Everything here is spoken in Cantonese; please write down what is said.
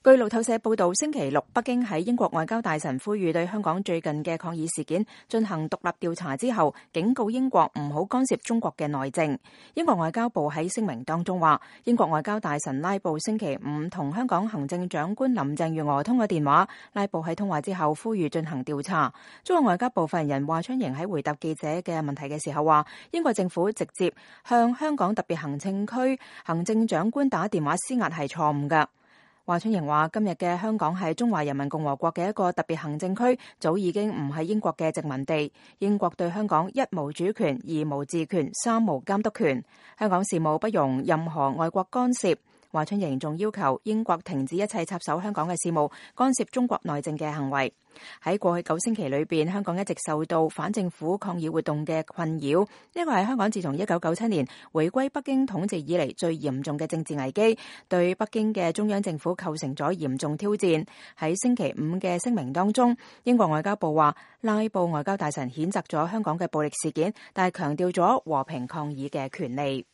據路透社報道，星期六北京喺英國外交大臣呼籲對香港最近嘅抗議事件進行獨立調查之後，警告英國唔好干涉中國嘅內政。英國外交部喺聲明當中話，英國外交大臣拉布星期五同香港行政長官林鄭月娥通過電話，拉布喺通話之後呼籲進行調查。中國外交部發言人華春瑩喺回答記者嘅問題嘅時候話，英國政府直接向香港特別行政區行政長官打電話施壓係錯誤㗎。華春瑩話，今日嘅香港係中華人民共和國嘅一個特別行政區，早已經唔係英國嘅殖民地。英國對香港一無主權、二無治權、三無監督權，香港事務不容任何外國干涉。華春瑩仲要求英國停止一切插手香港嘅事務、干涉中國內政嘅行為。喺過去9星期裏邊，香港一直受到反政府抗議活動嘅困擾，呢個係香港自從1997年回歸北京統治以嚟最嚴重嘅政治危機，對北京嘅中央政府構成咗嚴重挑戰。喺星期五嘅聲明當中，英國外交部話，拉布外交大臣譴責咗香港嘅暴力事件，但係強調咗和平抗議嘅權利。